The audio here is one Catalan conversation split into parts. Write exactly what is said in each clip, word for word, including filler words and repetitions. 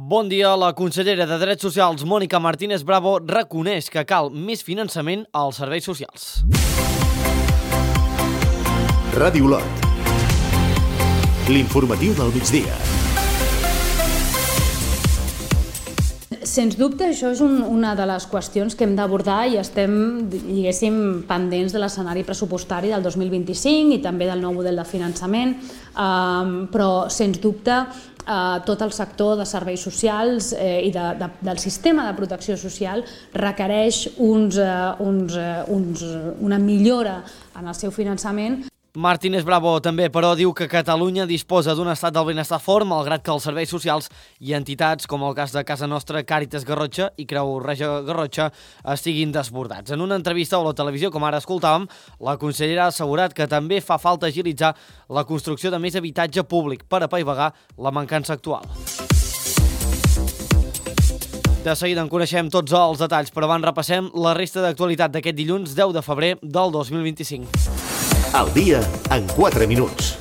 Bon dia. La consellera de Drets Socials, Mònica Martínez Bravo, reconeix que cal més finançament als serveis socials. Ràdio Lot. L'informatiu del migdia. Sens dubte, això és un, una de les qüestions que hem d'abordar i estem, diguéssim, pendents de l'escenari pressupostari del dos mil vint-i-cinc i també del nou model de finançament, um, però, sens dubte, uh, tot el sector de serveis socials eh, i de, de, del sistema de protecció social requereix uns, uh, uns, uh, uns, una millora en el seu finançament. Martínez Bravo també, però, diu que Catalunya disposa d'un estat del benestar fort, malgrat que els serveis socials i entitats, com el cas de Casa Nostra, Càritas Garrotxa i Creu Roja Garrotxa, estiguin desbordats. En una entrevista a la televisió, com ara escoltàvem, la consellera ha assegurat que també fa falta agilitzar la construcció de més habitatge públic per apaivagar la mancança actual. De seguida en coneixem tots els detalls, però abans repassem la resta d'actualitat d'aquest dilluns deu de febrer del dos mil vint-i-cinc. El dia en quatre minuts.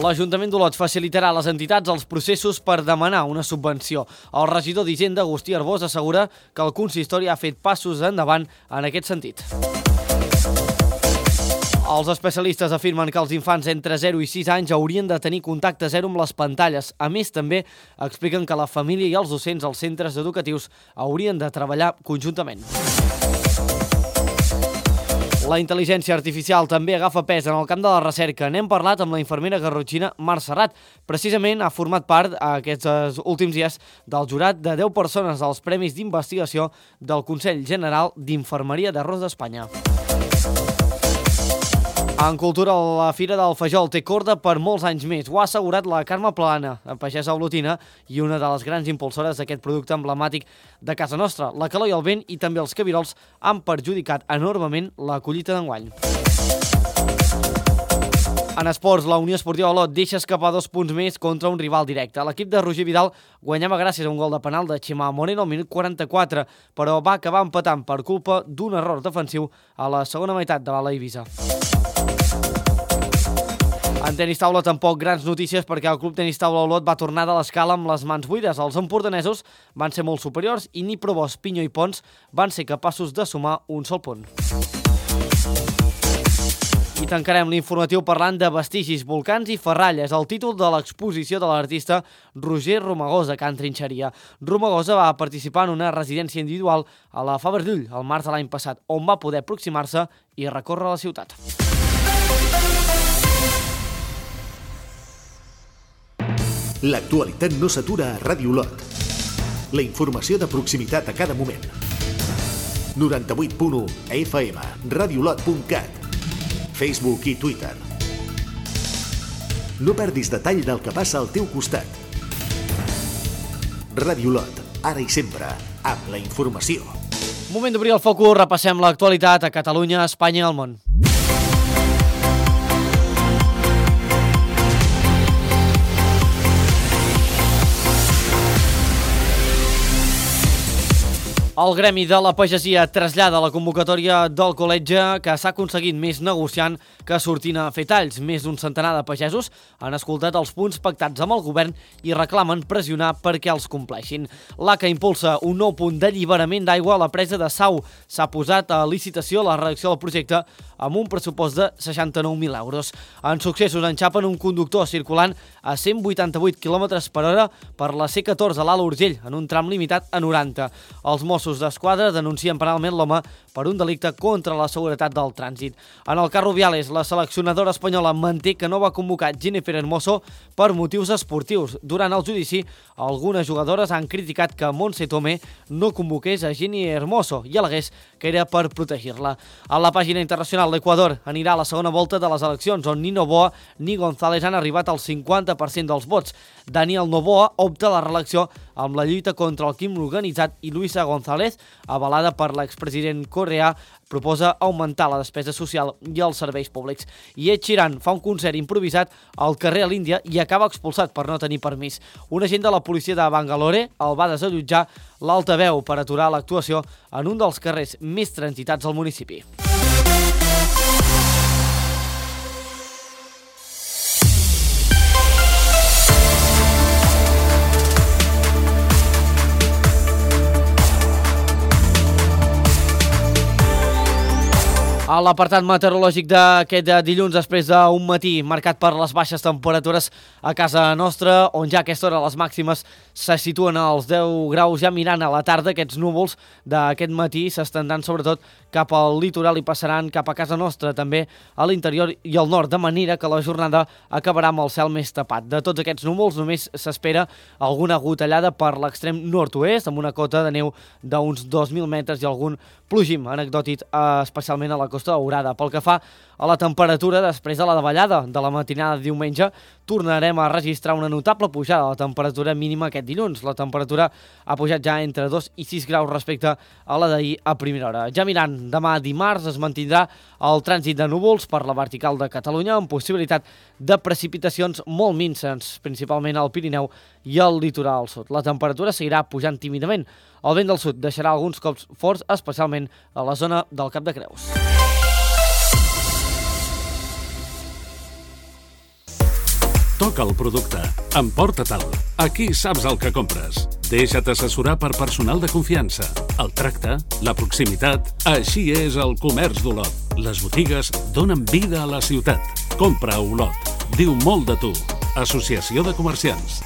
L'Ajuntament d'Olot facilitarà a les entitats els processos per demanar una subvenció. El regidor d'Hisenda, Agustí Arbós, assegura que el consistori ha fet passos endavant en aquest sentit. Els especialistes afirmen que els infants entre zero i sis anys haurien de tenir contacte zero amb les pantalles. A més, també expliquen que la família i els docents als centres educatius haurien de treballar conjuntament. La intel·ligència artificial també agafa pes en el camp de la recerca. N'hem parlat amb la infermera garrotxina Mar Serrat. Precisament ha format part aquests últims dies del jurat de deu persones dels Premis d'Investigació del Consell General d'Infermeria d'Arròs d'Espanya. En cultura, la Fira del Fajol té corda per molts anys més. Ho ha assegurat la Carme Plana, pagesa olotina i una de les grans impulsores d'aquest producte emblemàtic de casa nostra. La calor i el vent i també els cabirols han perjudicat enormement la collita d'enguany. En esports, la Unió Esportiva Olot deixa escapar dos punts més contra un rival directe. L'equip de Roger Vidal guanyava gràcies a un gol de penal de Ximà Moreno al minut quaranta-quatre, però va acabar empatant per culpa d'un error defensiu a la segona meitat de l'Ala Eivissa. En tenis taula tampoc grans notícies perquè el Club Tenis Taula Olot va tornar de l'escala amb les mans buides. Els empordanesos van ser molt superiors i ni Provós, Pinyo i Pons van ser capaços de sumar un sol punt. I tancarem l'informatiu parlant de vestigis, volcans i ferralles, el títol de l'exposició de l'artista Roger Romagosa, a Can Trinxeria. Romagosa va participar en una residència individual a la Fabra d'Ull el març de l'any passat, on va poder aproximar-se i recórrer la ciutat. L'actualitat no s'atura a Ràdio Lot. La informació de proximitat a cada moment. noranta-vuit punt u F M, radiolot punt cat, Facebook i Twitter. No perdis detall del que passa al teu costat. Ràdio Lot, ara i sempre, amb la informació. Moment d'obrir el focus, repassem l'actualitat a Catalunya, Espanya i al món. El Gremi de la Pagesia trasllada la convocatòria del col·legi que s'ha aconseguit més negociant que sortint a fer talls. Més d'un centenar de pagesos han escoltat els punts pactats amb el govern i reclamen pressionar perquè els compleixin. L'A C A impulsa un nou punt d'alliberament d'aigua a la presa de Sau. S'ha posat a licitació la redacció del projecte amb un pressupost de seixanta-nou mil euros. En successos enxapen un conductor circulant a cent vuitanta-vuit quilòmetres per hora per la C catorze a l'Ala Urgell, en un tram limitat a noranta. Els Mossos d'Esquadra denuncien penalment l'home per un delicte contra la seguretat del trànsit. En el cas Rubiales, la seleccionadora espanyola manté que no va convocar Jennifer Hermoso per motius esportius. Durant el judici, algunes jugadores han criticat que Montse Tomé no convoqués a Jenny Hermoso i al·legués que era per protegir-la. A la pàgina internacional, l'Equador anirà a la segona volta de les eleccions, on ni Noboa ni González han arribat al cinquanta per cent dels vots. Daniel Noboa opta a la reelecció amb la lluita contra el crim organitzat i Luisa González, avalada per l'expresident coreà, proposa augmentar la despesa social i els serveis públics. I Ed Sheeran fa un concert improvisat al carrer a l'Índia i acaba expulsat per no tenir permís. Un agent de la policia de Bangalore el va desallotjar l'altaveu per aturar l'actuació en un dels carrers més transitats al municipi. A l'apartat meteorològic d'aquest dilluns, després d'un matí marcat per les baixes temperatures a casa nostra, on ja a aquesta hora les màximes se situen als deu graus, ja mirant a la tarda, aquests núvols d'aquest matí s'estendran sobretot cap al litoral i passaran cap a casa nostra, també a l'interior i al nord, de manera que la jornada acabarà amb el cel més tapat. De tots aquests núvols només s'espera alguna gotellada per l'extrem nord-oest, amb una cota de neu d'uns dos mil metres i algun plogim anecdòtic, especialment a la Costa Daurada. Pel que fa a la temperatura, després de la davallada de la matinada de diumenge, tornarem a registrar una notable pujada de la temperatura mínima aquest dilluns. La temperatura ha pujat ja entre dos i sis graus respecte a la d'ahir a primera hora. Ja mirant, demà dimarts es mantindrà el trànsit de núvols per la vertical de Catalunya, amb possibilitat de precipitacions molt minses, principalment al Pirineu i al litoral sud. La temperatura seguirà pujant tímidament. El vent del sud deixarà alguns cops forts, especialment a la zona del Cap de Creus. Toca el producte. Emporta-te'l. Aquí saps el que compres. Deixa't assessorar per personal de confiança. El tracte, la proximitat... Així és el comerç d'Olot. Les botigues donen vida a la ciutat. Compra a Olot. Diu molt de tu. Associació de Comerciants.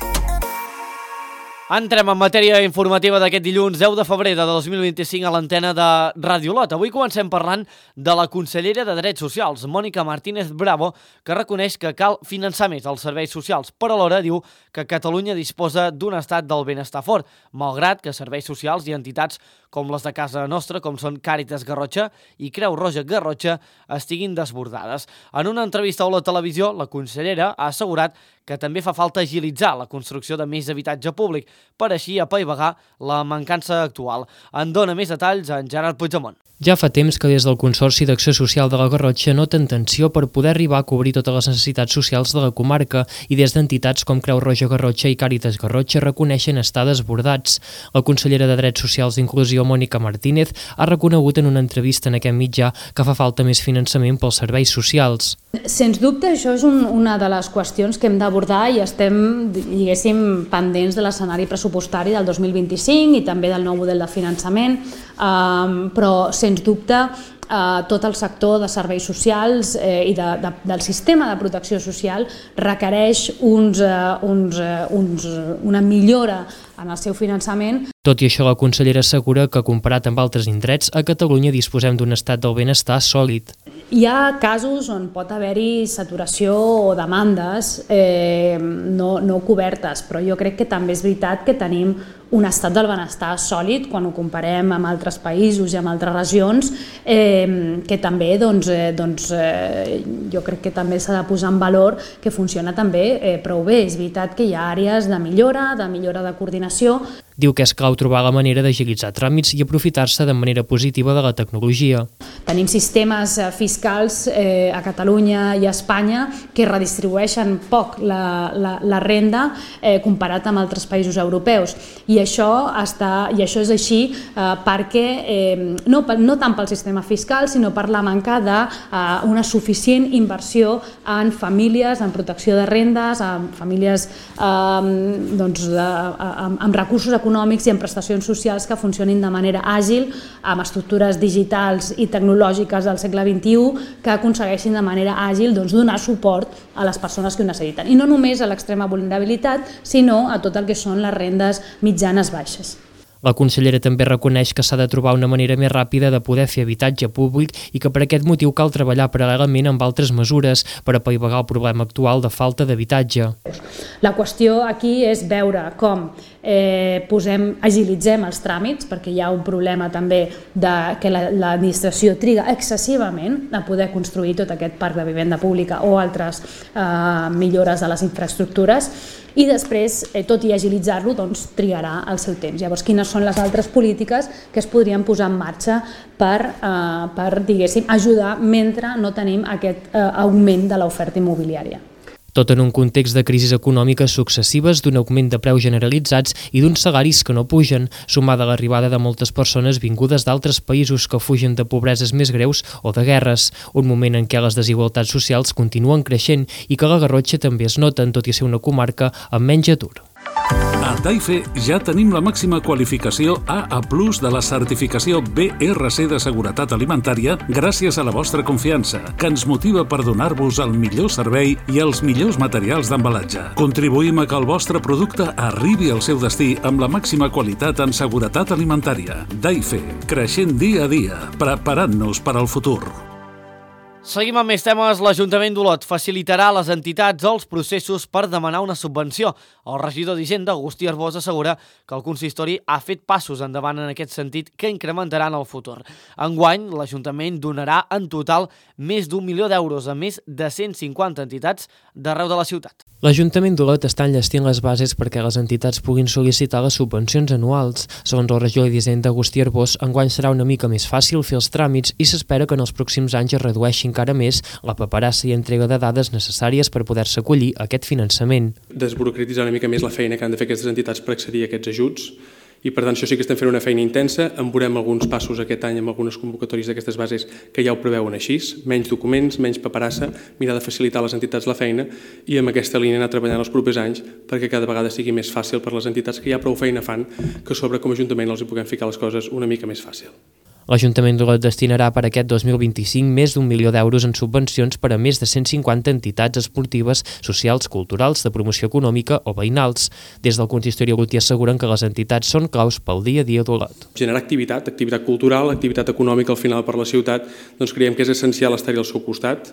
Entrem en matèria informativa d'aquest dilluns deu de febrer de dos mil vint-i-cinc a l'antena de Ràdio Olot. Avui comencem parlant de la consellera de Drets Socials, Mònica Martínez Bravo, que reconeix que cal finançar més els serveis socials, però alhora diu que Catalunya disposa d'un estat del benestar fort, malgrat que serveis socials i entitats com les de casa nostra, com són Càritas Garrotxa i Creu Roja Garrotxa, estiguin desbordades. En una entrevista a la televisió, la consellera ha assegurat que també fa falta agilitzar la construcció de més habitatge públic, per així apaivagar la mancança actual. En dona més detalls en Gerard Puigdemont. Ja fa temps que des del Consorci d'Acció Social de la Garrotxa noten tensió per poder arribar a cobrir totes les necessitats socials de la comarca i des d'entitats com Creu Roja Garrotxa i Càritas Garrotxa reconeixen estar desbordats. La consellera de Drets Socials i Inclusió, Mònica Martínez, ha reconegut en una entrevista en aquest mitjà que fa falta més finançament pels serveis socials. Sens dubte, això és un, una de les qüestions que hem d'abordar i estem, diguéssim, pendents de l'escenari pressupostari del dos mil vint-i-cinc i també del nou model de finançament, um, però sens dubte Uh, tot el sector de serveis socials eh, i de, de, del sistema de protecció social requereix uns, uh, uns, uh, uns, uh, una millora en el seu finançament. Tot i això, la consellera assegura que, comparat amb altres indrets, a Catalunya disposem d'un estat del benestar sòlid. Hi ha casos on pot haver-hi saturació o demandes eh, no, no cobertes, però jo crec que també és veritat que tenim un estat del benestar sòlid quan ho comparem amb altres països i amb altres regions, eh, que també doncs, eh, doncs, eh, jo crec que també s'ha de posar en valor que funciona també eh, prou bé. És veritat que hi ha àrees de millora, de millora de coordinació. Diu que és clau trobar la manera d'agilitzar tràmits i aprofitar-se de manera positiva de la tecnologia. Tenim sistemes fiscals eh, a Catalunya i a Espanya que redistribueixen poc la, la, la renda eh, comparat amb altres països europeus. I això, està, i això és així eh, perquè, eh, no, no tant pel sistema fiscal, sinó per la manca d'una eh, suficient inversió en famílies, en protecció de rendes, en famílies eh, doncs, de, amb, amb recursos econòmics econòmics i en prestacions socials que funcionin de manera àgil, amb estructures digitals i tecnològiques del segle vint-i-u que aconsegueixin de manera àgil doncs, donar suport a les persones que ho necessiten. I no només a l'extrema vulnerabilitat, sinó a tot el que són les rendes mitjanes baixes. La consellera també reconeix que s'ha de trobar una manera més ràpida de poder fer habitatge públic i que per aquest motiu cal treballar paral·lelament amb altres mesures per apaivagar el problema actual de falta d'habitatge. La qüestió aquí és veure com eh, posem, agilitzem els tràmits, perquè hi ha un problema també de que l'administració triga excessivament a poder construir tot aquest parc de vivenda pública o altres eh, millores de les infraestructures, i després, eh, tot i agilitzar-lo, doncs, trigarà el seu temps. Llavors, quines són les altres polítiques que es podrien posar en marxa per, eh, per diguéssim, ajudar mentre no tenim aquest eh, augment de l'oferta immobiliària? Tot en un context de crisis econòmiques successives, d'un augment de preus generalitzats i d'uns salaris que no pugen, sumada a l'arribada de moltes persones vingudes d'altres països que fugen de pobreses més greus o de guerres, un moment en què les desigualtats socials continuen creixent i que la Garrotxa també es noten, tot i ser una comarca amb menys atur. A Taife ja tenim la màxima qualificació A A plus de la certificació B R C de seguretat alimentària gràcies a la vostra confiança, que ens motiva per donar-vos el millor servei i els millors materials d'embalatge. Contribuïm a que el vostre producte arribi al seu destí amb la màxima qualitat en seguretat alimentària. Taife, creixent dia a dia, preparant-nos per al futur. Seguim amb més temes. L'Ajuntament d'Olot facilitarà a les entitats els processos per demanar una subvenció. El regidor d'Hisenda, Agustí Arbós, assegura que el consistori ha fet passos endavant en aquest sentit que incrementaran el futur. Enguany, l'Ajuntament donarà en total més d'un milió d'euros a més de cent cinquanta entitats d'arreu de la ciutat. L'Ajuntament d'Olot està enllestint les bases perquè les entitats puguin sol·licitar les subvencions anuals. Segons el regidor d'Hisenda, Agustí Arbós, enguany serà una mica més fàcil fer els tràmits i s'espera que en els pròxims anys es redueixi encara més la paperassa i entrega de dades necessàries per poder-se acollir a aquest finançament. Desburocratitzar una mica més la feina que han de fer aquestes entitats per accedir a aquests ajuts i per tant això sí que estem fent una feina intensa, en veurem alguns passos aquest any amb algunes convocatòries d'aquestes bases que ja ho preveuen així, menys documents, menys paperassa, mirar de facilitar a les entitats la feina i amb aquesta línia anar treballant els propers anys perquè cada vegada sigui més fàcil per les entitats que ja prou feina fan que sobre com a Ajuntament els hi puguem ficar les coses una mica més fàcil. L'Ajuntament d'Olot destinarà per aquest dos mil vint-i-cinc més d'un milió d'euros en subvencions per a més de cent cinquanta entitats esportives, socials, culturals, de promoció econòmica o veïnals. Des del consistori olotí asseguren que les entitats són claus pel dia a dia d'Olot. Generar activitat, activitat cultural, activitat econòmica al final per la ciutat, doncs creiem que és essencial estar-hi al seu costat.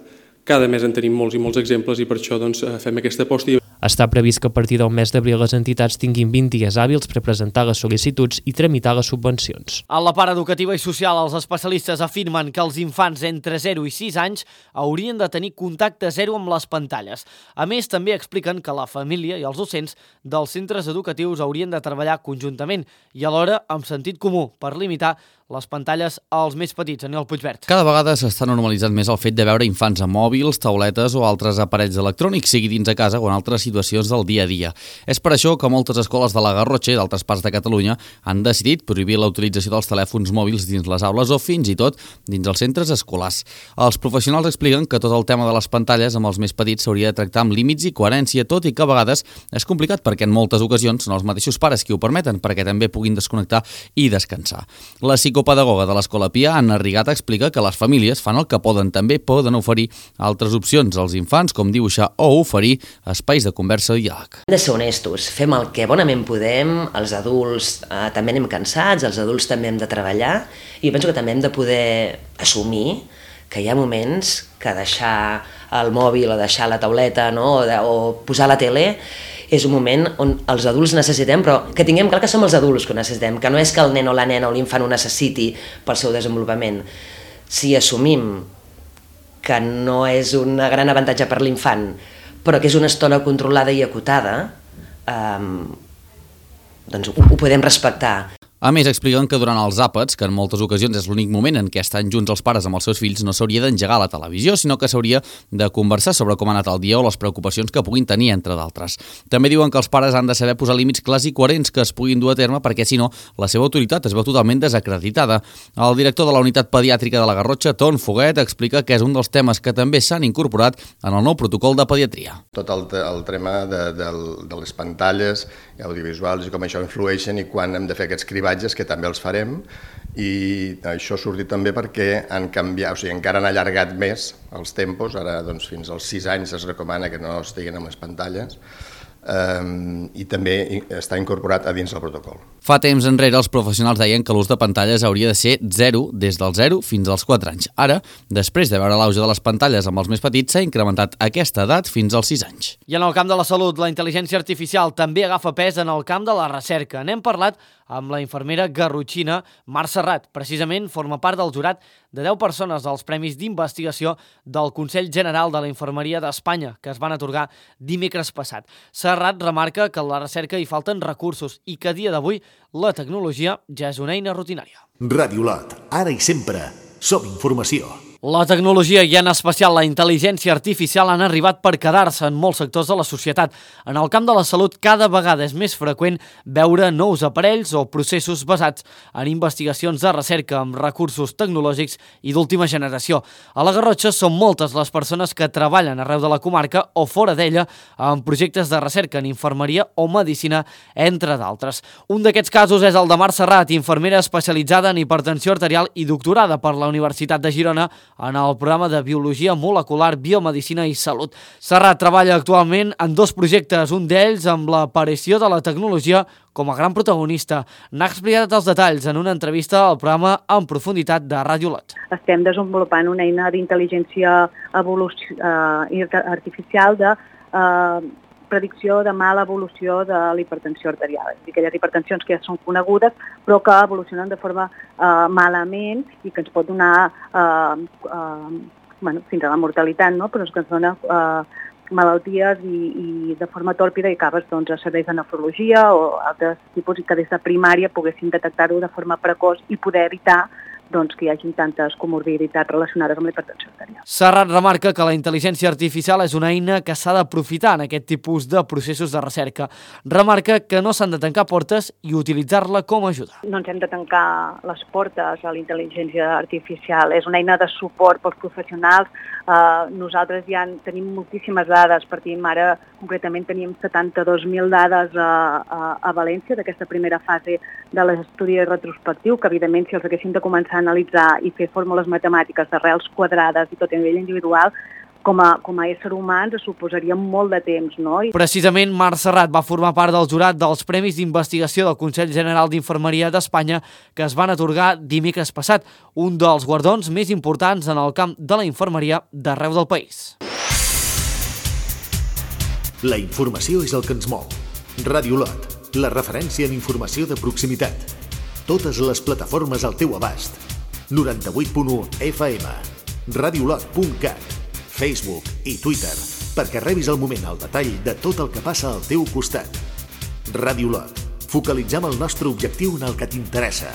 Cada mes en tenim molts i molts exemples i per això doncs, fem aquesta aposta. Està previst que a partir del mes d'abril les entitats tinguin vint dies hàbils per presentar les sol·licituds i tramitar les subvencions. A la part educativa i social, els especialistes afirmen que els infants entre zero i sis anys haurien de tenir contacte zero amb les pantalles. A més, també expliquen que la família i els docents dels centres educatius haurien de treballar conjuntament i alhora amb sentit comú per limitar les pantalles als més petits. Aniol Puigvert. Cada vegada s'està normalitzant més el fet de veure infants amb mòbils, tauletes o altres aparells electrònics, sigui dins de casa o en altres situacions del dia a dia. És per això que moltes escoles de la Garrotxa i d'altres parts de Catalunya han decidit prohibir la utilització dels telèfons mòbils dins les aules o fins i tot dins els centres escolars. Els professionals expliquen que tot el tema de les pantalles amb els més petits s'hauria de tractar amb límits i coherència, tot i que a vegades és complicat perquè en moltes ocasions són els mateixos pares qui ho permeten perquè també puguin desconnectar i descansar. La psicopedagoga de l'Escola Pia, Anna Rigata, explica que les famílies fan el que poden. També poden oferir altres opcions als infants, com dibuixar o oferir espais de conversa i diàleg. Hem de ser honestos, fem el que bonament podem, els adults eh, també anem cansats, els adults també hem de treballar i penso que també hem de poder assumir que hi ha moments que deixar el mòbil o deixar la tauleta, no? o, de, o posar la tele és un moment on els adults necessitem, però que tinguem clar que som els adults que ho necessitem, que no és que el nen o la nena o l'infant ho necessiti pel seu desenvolupament. Si assumim que no és un gran avantatge per l'infant, però que és una estona controlada i acotada, eh, doncs ho, ho podem respectar. A més, expliquen que durant els àpats, que en moltes ocasions és l'únic moment en què estan junts els pares amb els seus fills, no s'hauria d'engegar la televisió, sinó que s'hauria de conversar sobre com ha anat el dia o les preocupacions que puguin tenir, entre d'altres. També diuen que els pares han de saber posar límits clars i coherents que es puguin dur a terme perquè, si no, la seva autoritat es veu totalment desacreditada. El director de la unitat pediàtrica de la Garrotxa, Ton Foguet, explica que és un dels temes que també s'han incorporat en el nou protocol de pediatria. Tot el, el tema de, de, de les pantalles audiovisuals i com això influeixen i quan hem de fer aquests cribatges, que també els farem, i això ha sortit també perquè han canviat, o sigui, encara han allargat més els tempos, ara doncs, fins als sis anys es recomana que no estiguin amb les pantalles, Um, i també està incorporat a dins del protocol. Fa temps enrere els professionals deien que l'ús de pantalles hauria de ser zero des del zero fins als quatre anys. Ara, després de veure l'auge de les pantalles amb els més petits, s'ha incrementat aquesta edat fins als sis anys. I en el camp de la salut, la intel·ligència artificial també agafa pes en el camp de la recerca. N'hem parlat amb la infermera garrotxina Mar Serrat. Precisament forma part del jurat de deu persones dels Premis d'Investigació del Consell General de la Infermeria d'Espanya, que es van atorgar dimecres passat. Serrat remarca que en la recerca hi falten recursos i que a dia d'avui la tecnologia ja és una eina rutinària. Ràdio Olot, ara i sempre, som informació. La tecnologia i en especial la intel·ligència artificial han arribat per quedar-se en molts sectors de la societat. En el camp de la salut cada vegada és més freqüent veure nous aparells o processos basats en investigacions de recerca amb recursos tecnològics i d'última generació. A la Garrotxa són moltes les persones que treballen arreu de la comarca o fora d'ella en projectes de recerca en infermeria o medicina, entre d'altres. Un d'aquests casos és el de Mar Serrat, infermera especialitzada en hipertensió arterial i doctorada per la Universitat de Girona en el programa de Biologia Molecular, Biomedicina i Salut. Serrat treballa actualment en dos projectes, un d'ells amb l'aparició de la tecnologia com a gran protagonista. N'ha explicat els detalls en una entrevista al programa En Profunditat de Ràdio Lot. Estem desenvolupant una eina d'intel·ligència artificial de eh, predicció de mala evolució de la hipertensió arterial. És a dir, aquelles hipertensions que ja són conegudes però que evolucionen de forma eh, malament i que ens pot donar eh, eh, bueno, fins a la mortalitat, no? Però és que ens dona eh, malalties i, i de forma tòrpida i acabes doncs, a serveis de nefrologia o altres tipus i que des de primària poguessin detectar-ho de forma precoç i poder evitar doncs, que hi hagi tantes comorbiditats relacionades amb la hipertensió arterial. Serrat remarca que la intel·ligència artificial és una eina que s'ha d'aprofitar en aquest tipus de processos de recerca. Remarca que no s'han de tancar portes i utilitzar-la com a ajuda. No ens hem de tancar les portes a la intel·ligència artificial. És una eina de suport pels professionals. Uh, nosaltres ja tenim moltíssimes dades. Partim ara, concretament, teníem setanta-dos mil dades a, a, a València d'aquesta primera fase de l'estudi retrospectiu, que evidentment si els haguéssim de començar a analitzar i fer fórmules matemàtiques d'arrels quadrades i tot a nivell individual, com a, com a ésser humans es suposaria molt de temps, no? I... Precisament, Mar Serrat va formar part del jurat dels Premis d'Investigació del Consell General d'Infermeria d'Espanya que es van atorgar dimecres passat, un dels guardons més importants en el camp de la infermeria d'arreu del país. La informació és el que ens mou. Ràdio Lot, la referència en informació de proximitat. Totes les plataformes al teu abast. noranta-vuit punt u F M, radiolot punt cat, Facebook i Twitter, perquè rebis al moment el detall de tot el que passa al teu costat. Ràdio Lot, focalitzem el nostre objectiu en el que t'interessa.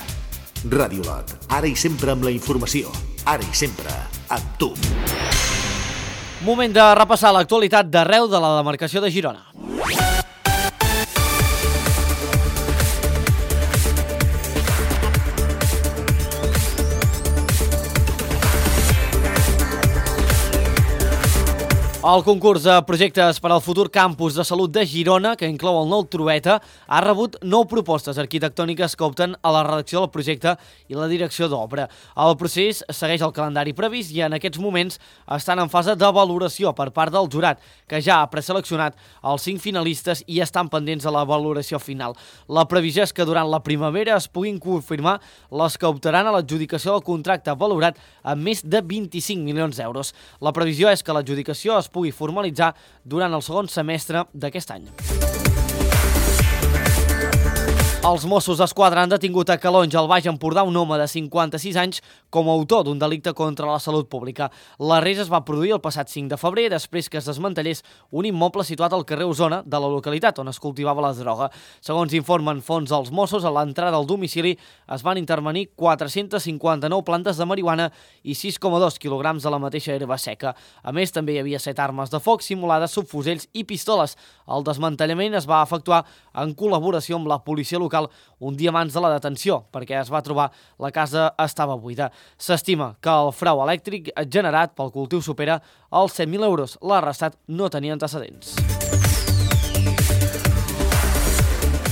Ràdio Lot, ara i sempre amb la informació, ara i sempre amb tu. Moment de repassar l'actualitat d'arreu de la demarcació de Girona. El concurs de projectes per al futur campus de salut de Girona, que inclou el nou Trueta, ha rebut nou propostes arquitectòniques que opten a la redacció del projecte i la direcció d'obra. El procés segueix el calendari previst i en aquests moments estan en fase de valoració per part del jurat, que ja ha preseleccionat els cinc finalistes i estan pendents de la valoració final. La previsió és que durant la primavera es puguin confirmar les que optaran a l'adjudicació del contracte valorat amb més de vint-i-cinc milions d'euros. La previsió és que l'adjudicació es pugui formalitzar durant el segon semestre d'aquest any. Els Mossos d'Esquadra han detingut a Calonge, al Baix Empordà, un home de cinquanta-sis anys com a autor d'un delicte contra la salut pública. L'arrest es va produir el passat cinc de febrer, després que es desmantellés un immoble situat al carrer Osona de la localitat on es cultivava la droga. Segons informen fonts dels Mossos, a l'entrada al domicili es van intervenir quatre-cents cinquanta-nou plantes de marihuana i sis coma dos quilograms de la mateixa herba seca. A més, també hi havia set armes de foc simulades, subfusells i pistoles. El desmantellament es va efectuar en col·laboració amb la policia local un dia abans de la detenció, perquè es va trobar la casa estava buida. S'estima que el frau elèctric generat pel cultiu supera els set mil euros. L'arrestat no tenia antecedents.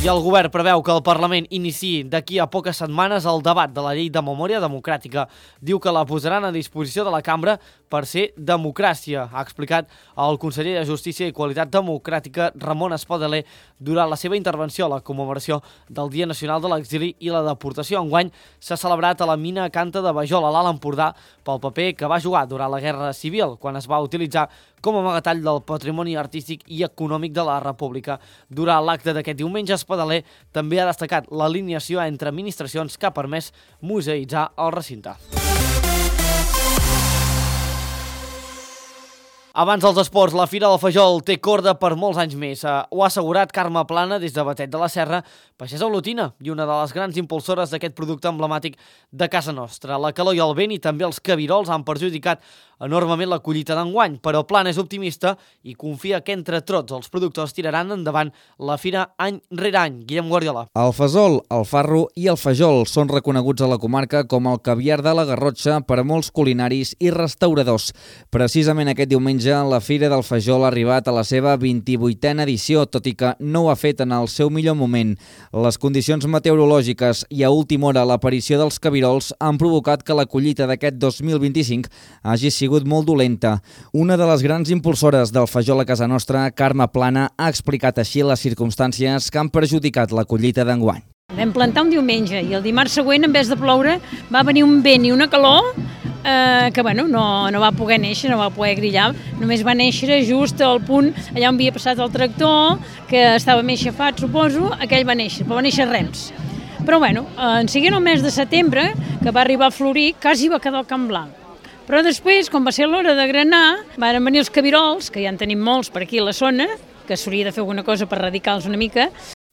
I el govern preveu que el Parlament iniciï d'aquí a poques setmanes el debat de la llei de memòria democràtica. Diu que la posaran a disposició de la cambra per ser democràcia, ha explicat el conseller de Justícia i Qualitat Democràtica Ramon Espadaler durant la seva intervenció a la commemoració del Dia Nacional de l'Exili i la Deportació. Enguany s'ha celebrat a la mina Canta de Bajol, a l'Alt Empordà, pel paper que va jugar durant la Guerra Civil, quan es va utilitzar com a amagatall del patrimoni artístic i econòmic de la República. Durant l'acte d'aquest diumenge, Espadaler també ha destacat l'alineació entre administracions que ha permès museïtzar el recinte. Abans dels esports, la Fira del Fajol té corda per molts anys més. Ho ha assegurat Carme Plana des de Batet de la Serra, pagesa olotina i una de les grans impulsores d'aquest producte emblemàtic de casa nostra. La calor i el vent i també els cabirols han perjudicat enormement la collita d'enguany, però Plana és optimista i confia que entre tots els productors tiraran endavant la fira any rere any. Guillem Guardiola. El fesol, el farro i el fajol són reconeguts a la comarca com el caviar de la Garrotxa per a molts culinaris i restauradors. Precisament aquest diumenge la Fira del Fajol ha arribat a la seva vint-i-vuitena edició, tot i que no ho ha fet en el seu millor moment. Les condicions meteorològiques i a última hora l'aparició dels cabirols han provocat que la collita d'aquest dos mil vint-i-cinc hagi sigut molt dolenta. Una de les grans impulsores del fajol a casa nostra, Carme Plana, ha explicat així les circumstàncies que han perjudicat la collita d'enguany. Vam plantar un diumenge i el dimarts següent, en vez de ploure, va venir un vent i una calor eh, que bueno, no, no va poder néixer, no va poder grillar. Només va néixer just al punt allà on havia passat el tractor, que estava més xafat, suposo, aquell va néixer, però va néixer rems. Però bueno, en seguint el mes de setembre, que va arribar a florir, quasi va quedar el camp blanc. Però després, quan va ser l'hora de granar, van venir els cabirols, que ja en tenim molts per aquí a la zona, que s'hauria de fer alguna cosa per erradicar-los una mica.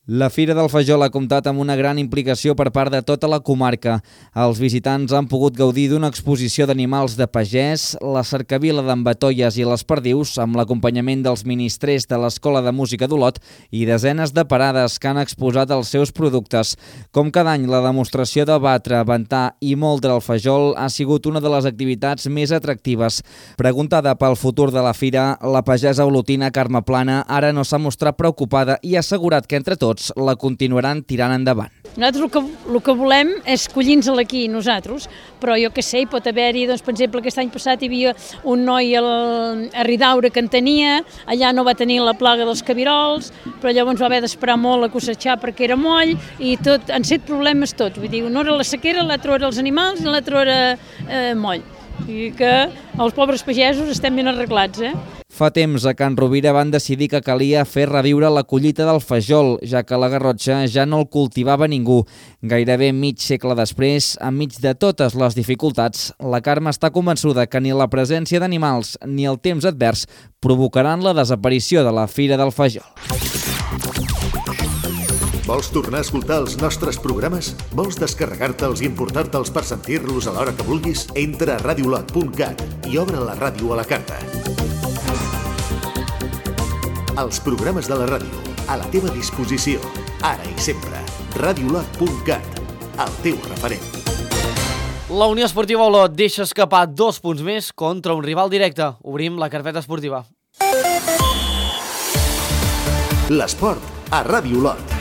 La Fira del Fajol ha comptat amb una gran implicació per part de tota la comarca. Els visitants han pogut gaudir d'una exposició d'animals de pagès, la cercavila d'en Batolles i les perdius, amb l'acompanyament dels ministrers de l'Escola de Música d'Olot i desenes de parades que han exposat els seus productes. Com cada any, la demostració de batre, ventar i moldre el fajol ha sigut una de les activitats més atractives. Preguntada pel futur de la fira, la pagesa olotina Carme Plana ara no s'ha mostrat preocupada i ha assegurat que entre tots la continuaran tirant endavant. Nosaltres el que, el que volem és collir-nos-la aquí, nosaltres, però jo què sé, hi pot haver-hi, doncs, per exemple, aquest any passat hi havia un noi al, a Ridaura que en tenia, allà no va tenir la plaga dels cabirols, però llavors va haver d'esperar molt a cosetxar perquè era moll, i tot, han set problemes tots, vull dir, una era la sequera, l'altra era els animals i l'altra era eh, moll. I que els pobres pagesos estem ben arreglats, eh? Fa temps a Can Rovira van decidir que calia fer reviure la collita del fajol, ja que la Garrotxa ja no el cultivava ningú. Gairebé mig segle després, enmig de totes les dificultats, la Carme està convençuda que ni la presència d'animals ni el temps advers provocaran la desaparició de la Fira del Fajol. Vols tornar a escoltar els nostres programes? Vols descarregar-te'ls i importar-te'ls per sentir-los a l'hora que vulguis? Entra a radiolot punt cat i obre la ràdio a la carta. Els programes de la ràdio, a la teva disposició, ara i sempre. radiolot punt cat, el teu referent. La Unió Esportiva Olot deixa escapar dos punts més contra un rival directe. Obrim la carpeta esportiva. L'esport a Ràdio Olot.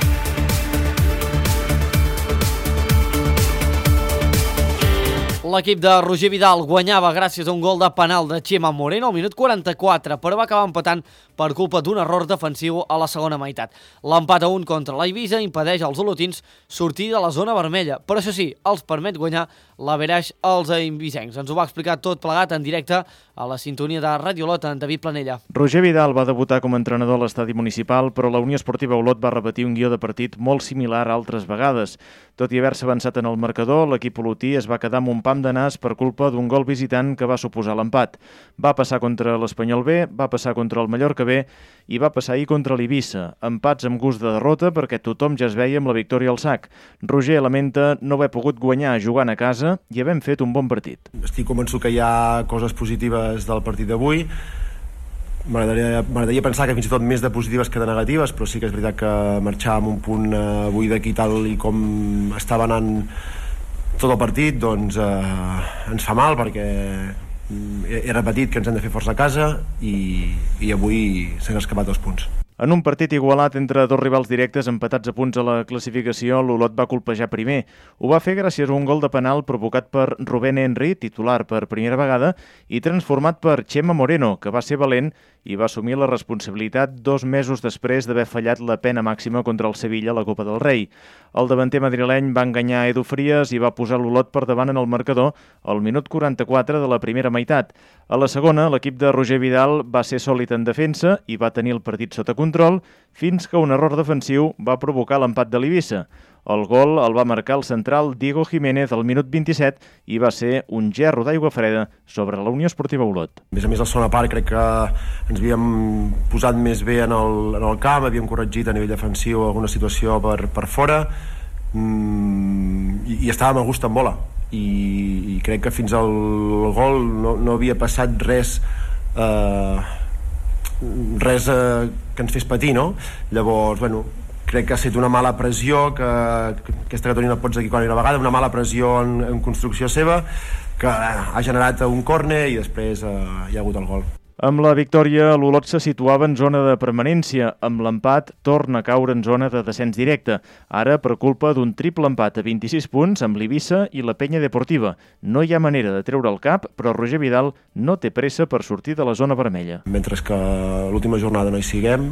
L'equip de Roger Vidal guanyava gràcies a un gol de penal de Chema Moreno al minut quaranta-quatre, però va acabar empatant per culpa d'un error defensiu a la segona meitat. L'empat a un contra l'Eivissa impedeix als olotins sortir de la zona vermella, però això sí, els permet guanyar l'averaix als eivissencs. Ens ho va explicar tot plegat en directe a la sintonia de Ràdio Olot en David Planella. Roger Vidal va debutar com a entrenador a l'estadi municipal, però la Unió Esportiva Olot va repetir un guió de partit molt similar a altres vegades. Tot i haver-se avançat en el marcador, l'equip olotí es va quedar amb un pam de nas per culpa d'un gol visitant que va suposar l'empat. Va passar contra l'Espanyol B, va passar contra el Mallorca B i va passar ahir contra l'Eivissa. Empats amb gust de derrota perquè tothom ja es veia amb la victòria al sac. Roger lamenta no haver pogut guanyar jugant a casa i havent fet un bon partit. Estic convençut que hi ha coses positives del partit d'avui. M'agradaria pensar que fins i tot més de positives que de negatives, però sí que és veritat que marxar amb un punt avui d'aquí tal i com estava anant tot el partit, doncs eh, ens fa mal perquè he repetit que ens hem de fer força a casa i, i avui s'han escapat dos punts. En un partit igualat entre dos rivals directes empatats a punts a la classificació, l'Olot va colpejar primer. Ho va fer gràcies a un gol de penal provocat per Rubén Henry, titular per primera vegada, i transformat per Chema Moreno, que va ser valent i va assumir la responsabilitat dos mesos després d'haver fallat la pena màxima contra el Sevilla a la Copa del Rei. El davanter madrileny va enganyar Edu Frías i va posar l'Olot per davant en el marcador al minut quaranta-quatre de la primera meitat. A la segona, l'equip de Roger Vidal va ser sòlid en defensa i va tenir el partit sota control, control fins que un error defensiu va provocar l'empat de l'Eivissa. El gol el va marcar el central Diego Jiménez al minut vint-i-set i va ser un gerro d'aigua freda sobre la Unió Esportiva Olot. A més a més, la segona part crec que ens havíem posat més bé en el, en el camp, havíem corregit a nivell defensiu alguna situació per, per fora mm, i, i estàvem a gust amb bola. I, i crec que fins al gol no, no havia passat res eh, res eh, que ens fes patir, no? Llavors, bueno, crec que ha estat una mala pressió, que, que aquesta categoria no pots equivocar una vegada, una mala pressió en, en construcció seva, que ha generat un córner i després eh, hi ha hagut el gol. Amb la victòria, l'Olot se situava en zona de permanència. Amb l'empat, torna a caure en zona de descens directe. Ara, per culpa d'un triple empat a vint-i-sis punts amb l'Eivissa i la Penya Deportiva. No hi ha manera de treure el cap, però Roger Vidal no té pressa per sortir de la zona vermella. Mentre que l'última jornada no hi siguem,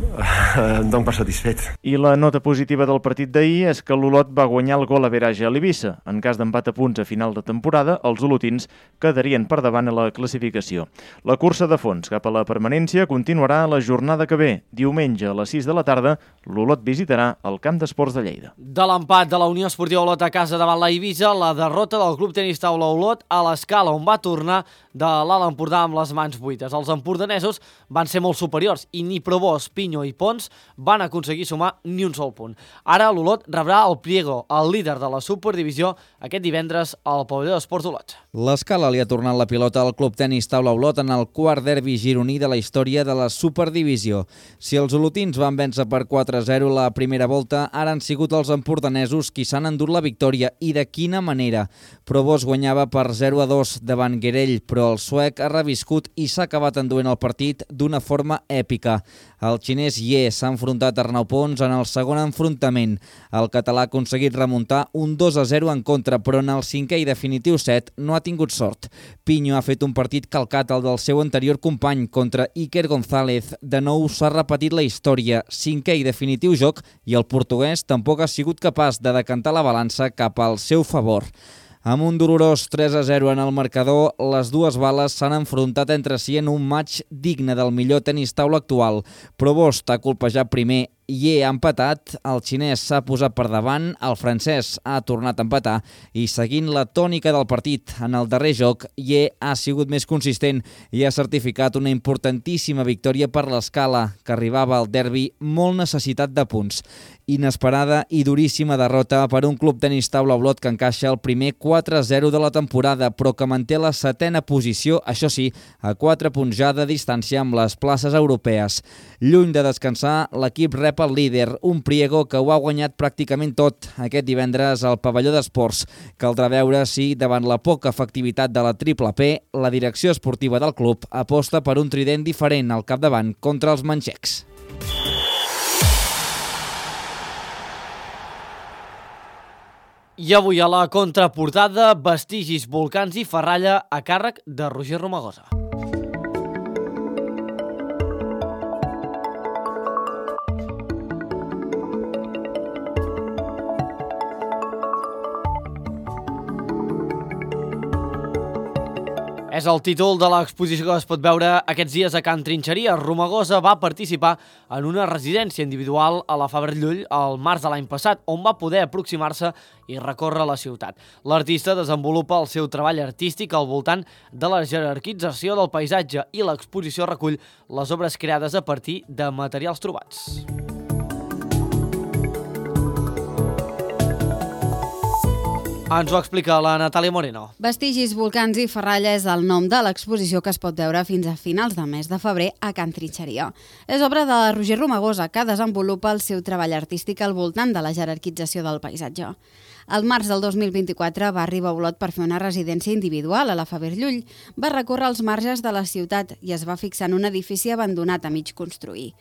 em dono per satisfet. I la nota positiva del partit d'ahir és que l'Olot va guanyar el gol a verage a l'Eivissa. En cas d'empat a punts a final de temporada, els olotins quedarien per davant a la classificació. La cursa de fons cap a la permanència continuarà la jornada que ve. Diumenge a les sis de la tarda, l'Olot visitarà el Camp d'Esports de Lleida. De l'empat de la Unió Esportiva Olot a casa davant la Eivissa, la derrota del Club Tenis Taula Olot a l'Escala, on va tornar de l'Alt Empordà amb les mans buides. Els empordanesos van ser molt superiors i ni Provós, Pinyo i Pons van aconseguir sumar ni un sol punt. Ara l'Olot rebrà el Priego, el líder de la Superdivisió, aquest divendres al pavelló d'Esports Olot. L'Escala li ha tornat la pilota al Club Tenis Taula Olot en el quart derbi gironí de la història de la Superdivisió. Si els olotins van vèncer per quatre a zero la primera volta, ara han sigut els empordanesos qui s'han endut la victòria, i de quina manera. Provós guanyava per zero a dos davant Guerell, però el suec ha reviscut i s'ha acabat enduent el partit d'una forma èpica. El xinès Ye s'ha enfrontat a Arnau Pons en el segon enfrontament. El català ha aconseguit remuntar un dos a zero en contra, però en el cinquè i definitiu set no ha tingut sort. Pinyo ha fet un partit calcat al del seu anterior company contra Iker González. De nou s'ha repetit la història, cinquè i definitiu joc, i el portuguès tampoc ha sigut capaç de decantar la balança cap al seu favor. Amb un dolorós tres a zero en el marcador, les dues bales s'han enfrontat entre si en un match digne del millor tenis taula actual. Provós ha colpejat primer, Ye ha empatat, el xinès s'ha posat per davant, el francès ha tornat a empatar i, seguint la tònica del partit en el darrer joc, Ye ha sigut més consistent i ha certificat una importantíssima victòria per l'Escala, que arribava al derbi molt necessitat de punts. Inesperada i duríssima derrota per un Club Tenis Taula Olot que encaixa el primer quatre a zero de la temporada, però que manté la setena posició, això sí, a quatre punts ja de distància amb les places europees. Lluny de descansar, l'equip rep el líder, un Priego que ho ha guanyat pràcticament tot aquest divendres al pavelló d'esports. Caldrà veure si, davant la poca efectivitat de la triple P, la direcció esportiva del club aposta per un trident diferent al capdavant contra els manxecs. I avui a la contraportada, vestigis, volcans i ferralla a càrrec de Roger Romagosa. És el títol de l'exposició que es pot veure aquests dies a Can Trinxeria. Romagosa va participar en una residència individual a la Fabra Llull al març de l'any passat, on va poder aproximar-se i recórrer la ciutat. L'artista desenvolupa el seu treball artístic al voltant de la jerarquització del paisatge i l'exposició recull les obres creades a partir de materials trobats. Ens ho explica la Natàlia Moreno. Vestigis, volcans i ferralla és el nom de l'exposició que es pot veure fins a finals de mes de febrer a Can Trinxeria. És obra de Roger Romagosa, que desenvolupa el seu treball artístic al voltant de la jerarquització del paisatge. Al març del dos mil vint-i-quatre va arribar a Olot per fer una residència individual a la Fabra Llull. Va recórrer els marges de la ciutat i es va fixar en un edifici abandonat a mig construir.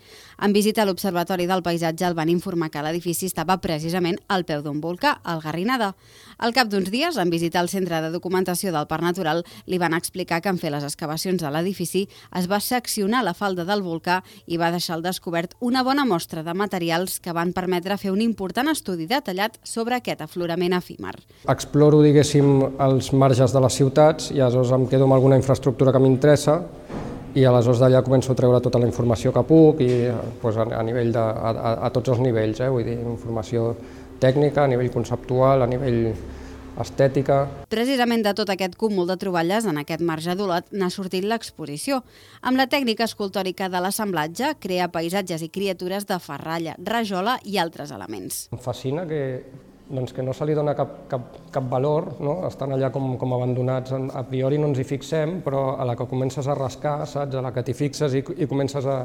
En visita a l'Observatori del Paisatge el van informar que l'edifici estava precisament al peu d'un volcà, el Garrinada. Al cap d'uns dies, en visitar el Centre de Documentació del Parc Natural, li van explicar que en fer les excavacions a l'edifici es va seccionar la falda del volcà i va deixar al descobert una bona mostra de materials que van permetre fer un important estudi detallat sobre aquest aflorament efímer. Exploro, diguéssim, els marges de les ciutats i aleshores em quedo amb alguna infraestructura que m'interessa i aleshores d'allà començo a treure tota la informació que puc i pues, a, a, nivell de, a, a tots els nivells, eh? Vull dir, informació tècnica, a nivell conceptual, a nivell estètica. Precisament de tot aquest cúmul de troballes en aquest marge d'Olot n'ha sortit l'exposició. Amb la tècnica escultòrica de l'assemblatge, crea paisatges i criatures de ferralla, rajola i altres elements. Em fascina que, doncs, que no se li dona cap, cap, cap valor, no? Estan allà com, com abandonats, a priori no ens hi fixem, però a la que comences a rascar, saps? A la que t'hi fixes i, i comences a,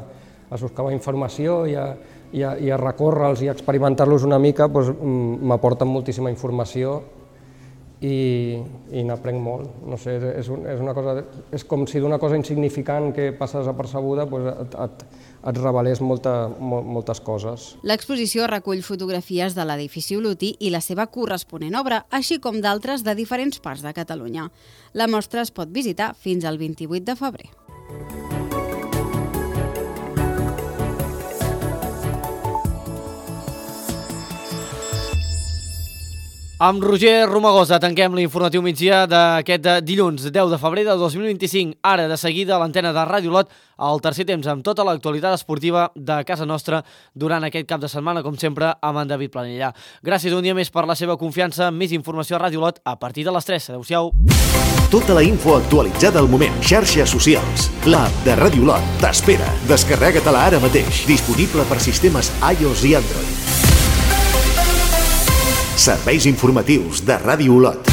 a buscar informació i a, i a, i a recórrer-los i a experimentar-los una mica, doncs, m'aporten moltíssima informació i, i n'aprenc molt. No sé, és, un, és, una cosa, és com si d'una cosa insignificant que passa desapercebuda doncs et, et, et revelés molta, mol, moltes coses. L'exposició recull fotografies de l'edifici olotí i la seva corresponent obra, així com d'altres de diferents parts de Catalunya. La mostra es pot visitar fins al vint-i-vuit de febrer. Amb Roger Romagosa tanquem l'informatiu migdia d'aquest dilluns deu de febrer de dos mil vint-i-cinc. Ara, de seguida, a l'antena de Ràdio Olot, al tercer temps amb tota l'actualitat esportiva de casa nostra durant aquest cap de setmana, com sempre, amb en David Planella. Gràcies un dia més per la seva confiança. Més informació a Ràdio Olot a partir de les tres. Adéu-siau. Tota la info actualitzada al moment. Xarxes socials. L'app de Ràdio Olot t'espera. Descarrega-te-la ara mateix. Disponible per sistemes iOS i Android. Serveis informatius de Ràdio Olot.